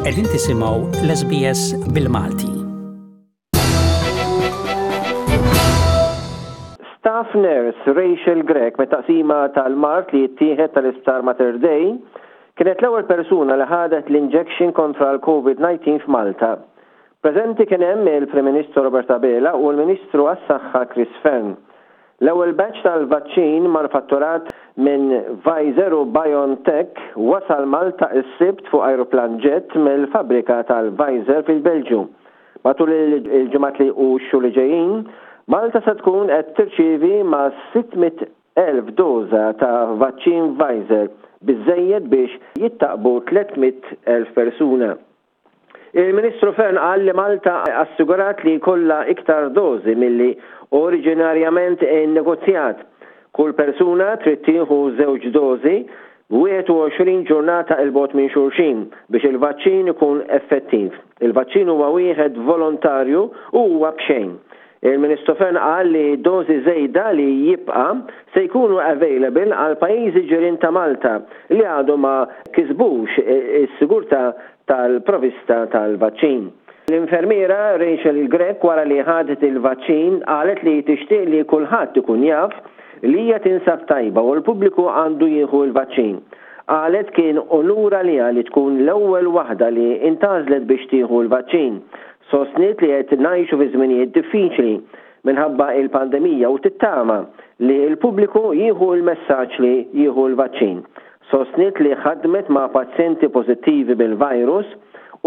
Qegħdin tisimgħu l-SBS bil-Malti. Staff Nurse Rachel Grech mit-taqsima tal-mard li jittieħed tal-Isptar Mater Dei kienet l-ewwel persuna li ħadet l-injection kontra l-Covid-19 f'Malta. Preżenti kien hemm il-Prim Ministru Robert Abela u l-Ministru għas-Saħħa Chris Fearne. L-ewwel batch tal-vaċċin manufatturat minn Pfizer u BioNTech wasal Malta s-Sibt fuq ajruplan ġett mill-fabbrika tal-Pfizer fil-Belġju. Matul il-ġimgħat li u x-xhur li ġejjin, Malta se tkun qed tirċievi mas-600,000 doża ta' vaċċin Pfizer, biżżejjed biex jittaqbu 300,000 persuna. Il-Ministru Fearne qal li Malta assigurat li jkollha iktar dożi milli oriġinarjament innegozjat. Kull persuna trid tieħu żewġ dożi 21 ġurnata 'il bogħod minn xulxin biex il-vaċċin ikun effettiv. Il-vaċċin huwa wieħed volontarju u huwa b'xejn. Il-Ministru Fearne qal li dożi żejda li jibqa' se jkunu available għal pajjiżi ġirien ta' Malta li għadu ma kisbux is-sigurtà tal-provista tal-vaċċin. L-infermiera Rachel Grech wara li ħadet il-vaċċin qalet li tixtieq li kulħadd ikun jaf li hija tinsab tajba u l-pubbliku għandu jieħu l-vaċċin. Qalet kien unur għaliha li tkun l-ewwel waħda li intgħażlet biex tieħu l-vaċċin. Sostniet li qed ngħixu fi żminijiet diffiċli minħabba il-pandemija u tittama li l-pubbliku jieħu l-messaġġ li jieħu l-vaċċin. Sostniet li ħadmet ma' pazjenti pożittivi bil-virus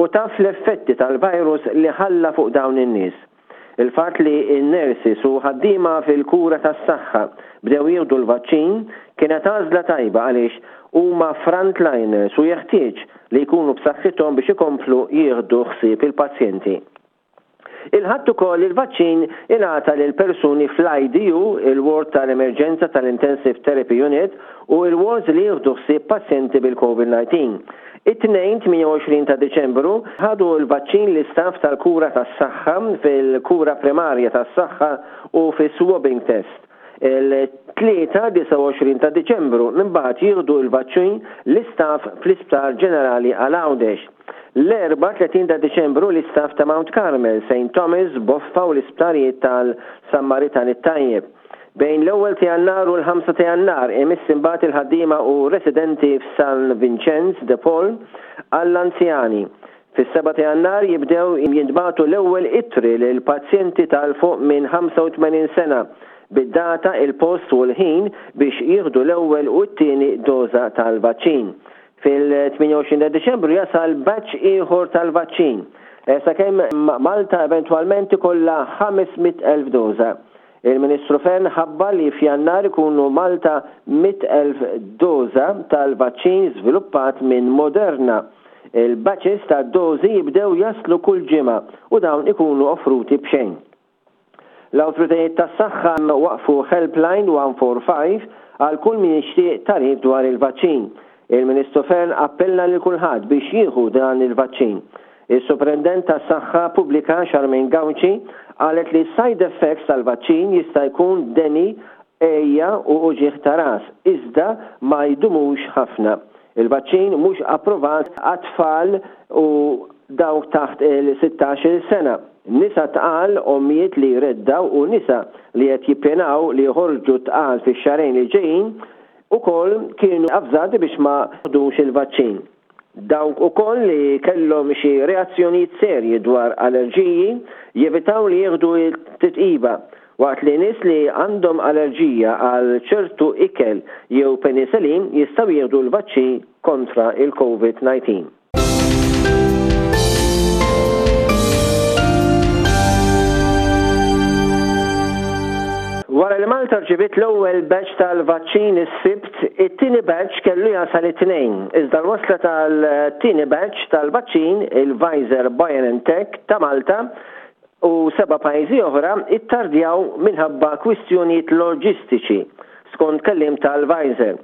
u taf l-effetti tal-virus li ħalla fuq dawn in-nies. Il-fatt li n-nurses u ħaddiema fil-kura tas-saħħa bdew jieħdu l-vaċċin kienet għażla tajba għaliex huma frontliners u jeħtieġ li jkunu b'saħħithom biex ikomplu jieħdu ħsieb il-pazjenti. Il-Ħadd ukoll il-vaċċin ingħata lil persuni fl-IDU, il-ward tal-emerġenza tal-Intensive Therapy Unit u l-wards li jieħdu ħsieb pazjenti bil-Covid-19. It-Tnejn 28 ta' Diċembru ħadu l-vaċċin l-istaff tal-kura tas-saħħa fil-kura primarja tas-saħħa u fis-swabbing test. Il-Tlieta 29 ta' Diċembru imbagħad jieħdu l-vaċċin l-istaff fl-Isptar Ġenerali għal Għawdex. L-Erbgħa 30 ta' Diċembru l-istaff ta' Mount Carmel, Saint Thomas, Boffa u l-Isptarijiet tal-Sammaritan it-Tajjeb. Bejn l-ewwel ta' Jannar u l-ħamsa ta' Jannar imiss imbagħad il-ħaddiema u residenti f'San Vinċenz de Paul għall-anzjani. Fis-sebgħa ta' Jannar jibdew jintbagħtu l-ewwel ittri lil pazjenti ta' 'l fuq minn 85 sena bid-data, il-post u l-ħin biex jieħdu l-ewwel u t-tieni doża tal-vaċċin. Fil-28 ta' Diċembru jasal batch ieħor tal-vaċċin, sakemm Malta eventwalment ikollha 500,000 doża. Il-Ministru Fearne ħabbar li f'Jannar ikunu Malta 100,000 doża tal-vaċċin żviluppat minn Moderna. Il-batches ta' dożi jibdew jaslu kull ġimgħa u dawn ikunu offruti b'xejn. L-awtoritajiet tas-saħħa waqqfu helpline 145 għal kull min jixtieq tagħrif dwar il-vaċċin. Il-Ministru Fearne appella lil kulħadd biex jieħu dan il-vaċċin. Is-Suprintendent tas-Saħħa Pubblika Charmaine Gauci qalet li s-side effects tal-vaċċin jista' jkun deni, għeja u uġigħ ta' ras, iżda ma jdumux ħafna. Il-vaċċin mhux approvat għat-tfal u dawk taħt il-sittax-il sena, nisa tqal, ommijiet li jreddgħu u nisa li qed jippjanaw li joħorġu tqal fix-xahrejn li ġejjin ukoll kienu avżati biex ma ħdux il-vaċċin. Dawk ukoll li kellhom xi reazzjonijiet serji dwar allerġiji jevitaw li jieħdu t-titqiba, waqt li nies li għandhom allerġija għal ċertu ikel jew penicillin jistgħu jieħdu l-vaċċin kontra l-Covid-19. Wara li Malta rċiviet l-ewwel batch tal-vaċċin is-Sibt, it-tieni batch kellu jasal it-Tnejn. Iżda l-wasla tal-tieni batch tal-vaċċin, il-Pfizer BioNTech ta' Malta u seba' pajjiżi oħra ittardjaw minħabba kwistjonijiet loġistiċi, skont kelliem tal-Pfizer.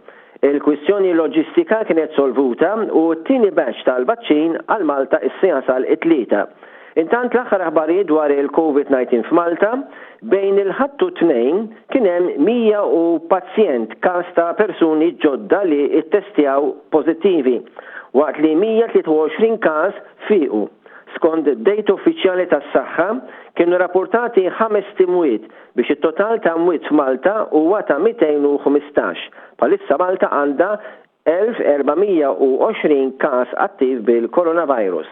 Il-kwistjoni loġistika kienet solvuta u t-tieni batch tal-vaċċin għal Malta issa jasal it-Tlieta. Intant l-aħħar aħbarijiet dwar il-Covid-19 f'Malta, bejn il-Ħadd u t-Tnejn kien hemm 100 u pazjent każ ta' persuni ġodda li ttestjaw pożittivi. waqt li 123 każ fiequ. Skont dejta uffiċjali tas-saħħa, kienu rapportati ħamest imwiet biex it-total ta' mwiet f'Malta huwa ta' 215. Bħalissa Malta għandha 1,420 każ attiv bil-coronavirus.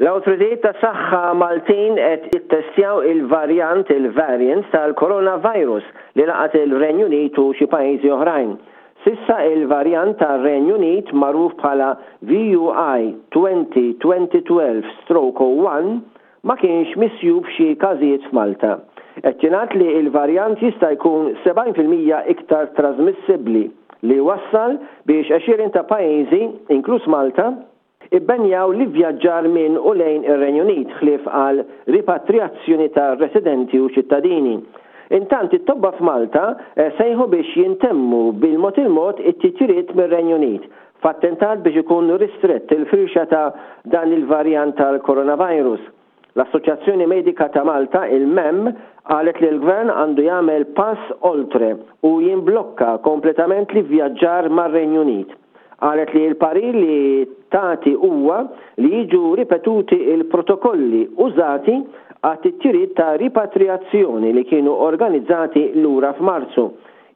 L-awtoritajiet tas-saħħa Maltin qed jittestjaw il-varjant, il-variant, tal-coronavirus li laqat il-Renju Unit u xi pajjiżi oħrajn. S'issa il-varjant tar-Renju Unit magħruf bħala VUI 2020-12/01 ma kienx misjub f'xi każijiet f'Malta. Qed jingħad li l-varjant jista' jkun 70% iktar trażmissibbli li wassal biex għexieren ta' pajjiżi, inkluż Malta, Ibbenjaw l-ivvjaġġar minn u lejn ir-Renju Unit ħlief għal ripatrijazzjoni ta' residenti u ċittadini. Intant it-tobba f'Malta sejħu biex jintemmu bil-mod il-mod it-titjiriet mir-Renju Unit, f'attentat biex ikun ristrett il-firxa ta' dan il-varjant tal-coronavirus. L-Assoċjazzjoni Medika ta' Malta, il-MEM, qalet li l-Gvern għandu jagħmel pass oltre u jimblokka kompletament l-ivvjaġġar mar-Renju Unit. Qalet li l-parir li tagħti huwa li jiġu ripetuti l-protokolli użati għat-titjiriet ta' ripatrijazzjoni li kienu organizzati lura f'Marzu.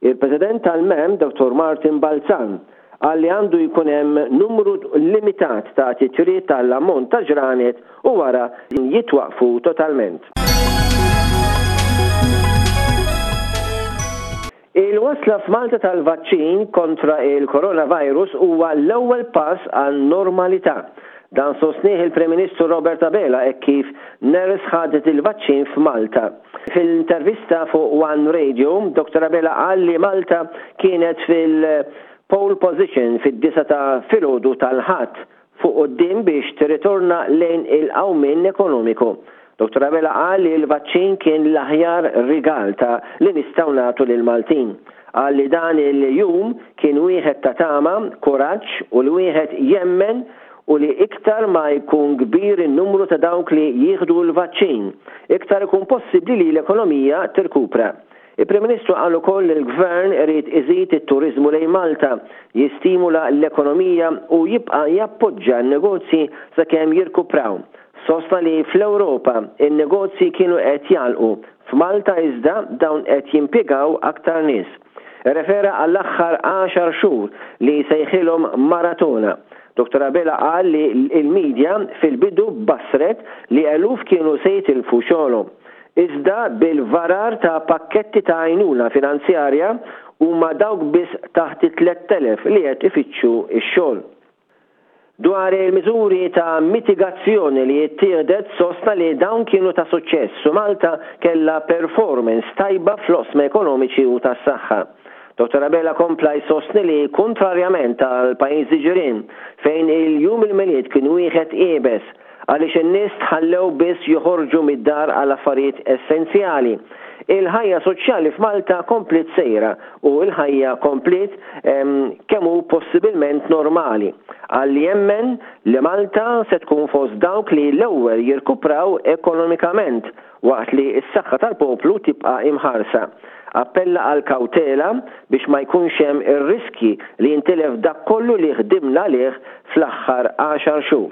Il-President tal-MEM, Dottor Martin Balzan, Qal li għandu jkun hemm numru limitat ta' titjiriet għal ammont ta' ġranet u wara jitwaqqfu totalment. Il-wasla f'Malta tal-vaċċin kontra il-coronavirus huwa l-ewwel pass għan-normalità. Dan sostnieh il-Prim Ministru Robert Abela hekk kif nurse ħadet il-vaċċin f'Malta. Fil-intervista fuq One Radio, Dottor Abela qal li Malta kienet fil-pole position fid-disgħa ta' filgħodu tal-Ħadd, fuq quddiem biex tirritorna lejn il-qawmien ekonomiku. Dottor Abela qal li l-vaċċin kien l-aħjar rigal ta' li nistgħu nagħtu lill-Maltin. Qal li dan il-jum kien wieħed ta' tama, kuraġġ u li wieħed jemmen u li iktar ma jkun kbir in-numru ta' dawk li jieħdu l-vaċċin, iktar ikun possibbli li l-ekonomija tirkupra. Il-Prim Ministru qal ukoll li l-Gvern irid iżid it-turiżmu lejn Malta, jistimula l-ekonomija u jibqa' jappoġġa n-negozji sakemm jirkupraw. Sostna li fl-Ewropa n-negozji kienu qed jagħlqu, f'Malta iżda dawn qed jimpjegaw aktar nies. Irrefera għall-aħħar għaxar xhur li sejħilhom maratona. Dottor Abela qal li l-media fil-bidu bassret li eluf kienu se jitilfu xogħolhom. Iżda bil-varar ta' pakketti ta' għajnuna finanzjarja huma dawk biss taħt it-3,000 li qed ifittxu x-xogħol. Dwar il-miżuri ta' mitigazzjoni li ttieħdet sostna li dawn kienu ta' suċċess u Malta kellha performance tajba fl-oqsma ekonomiċi u tas-saħħa. Dottor Abela kompla jsostni li kuntrarjament għal pajjiżi ġirien fejn il-Jum il-Milied kien wieħed iebes, għaliex in-nies tħallew biss joħorġu mid-dar għal affarijiet essenzjali. Il-ħajja soċjali f'Malta kompliet sejra u l-ħajja kompliet kemm hu possibilment normali. Qal li jemmen li Malta se tkun fost dawk li l-ewwel jirkupraw ekonomikament waqt li s-saħħa tal-poplu tibqa' imħarsa. Appella għal kawtela biex ma jkunx hemm ir-riskji li jintilef dak kollu li ħdimna għalih fl-aħħar għaxar xhur.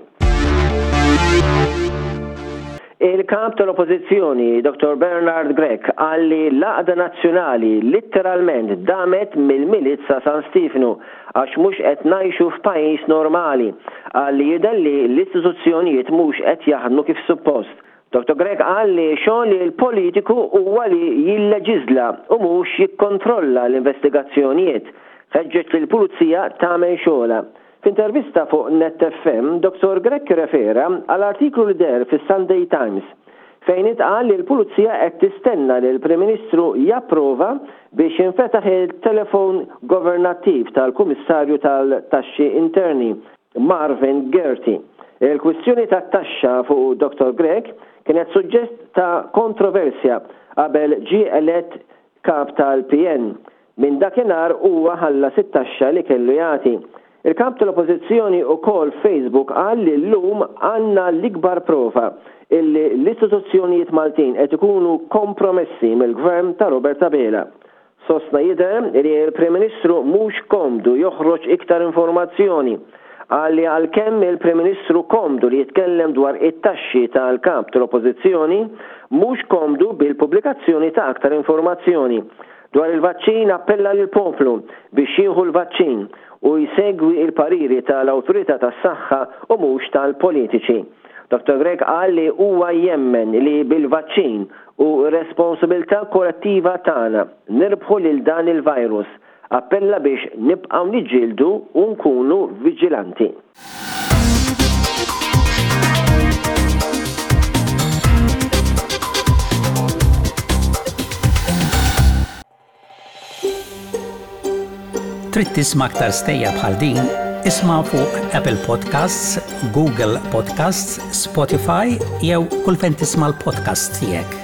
Il-Kap tal-Oppożizzjoni, Dottor Bernard Grech, qal li l-għaqda nazzjonali litteralment damet mill-Milied sa San Stiefnu għax mhux qed ngħixu f'pajjiż normali. Qal li jidher li l-istituzzjonijiet mhux qed jaħdmu kif suppost. Dottor Grech qal li xogħol il-politiku huwa li jilleġiżla u mhux jikkontrolla l-investigazzjonijiet. Ħeġġeġ lill-Pulizija tagħmel xogħolha. F'intervista fuq Net FM, Dottor Grech irrefera għal artiklu li deher fis-Sunday Times fejn intqal li l-Pulizija qed tistenna li l-Prim Ministru japprova biex jinfetaħ il-telefon governattiv tal-Kummissarju tal-Taxxi Interni, Marvin Gaerty. Il-kwistjoni tat-taxxa fuq Dottor Grech kienet suġġett ta' kontroversja qabel ġie elett Kap tal-PN. Minn dakinhar huwa ħallas it-taxxa li kellu jagħti. Il-Kap tal-Oppożizzjoni ukoll f'Facebook qal li llum għandna l-ikbar prova illi l-istituzzjonijiet Maltin qed ikunu kompromessi mill-Gvern ta' Robert Abela. Sostna jidher li l-Prim Ministru mhux komdu joħroġ iktar informazzjoni. Qal li għalkemm il-Prim Ministru komdu li jitkellem dwar it-taxxi tal-Kap tal-Oppożizzjoni, mhux komdu bil-pubblikazzjoni ta' aktar informazzjoni. Dwar il-vaċċin appella lill-poplu biex jieħu l-vaċċin u jsegwi l-pariri tal-Awtorità tas-Saħħa u mhux tal-politiċi. Dottor Grech qal li huwa jemmen li bil-vaċċin u r-responsabilità kollettiva tagħna nirbħu lil dan il-virus. Appella biex nibqgħu niġġieldu u nkunu viġilanti. Trid tisma' aktar stejjer bħal din? Isma' fuq Apple Podcasts, Google Podcasts, Spotify jew kull fejn tisma' l-podcasts tiegħek.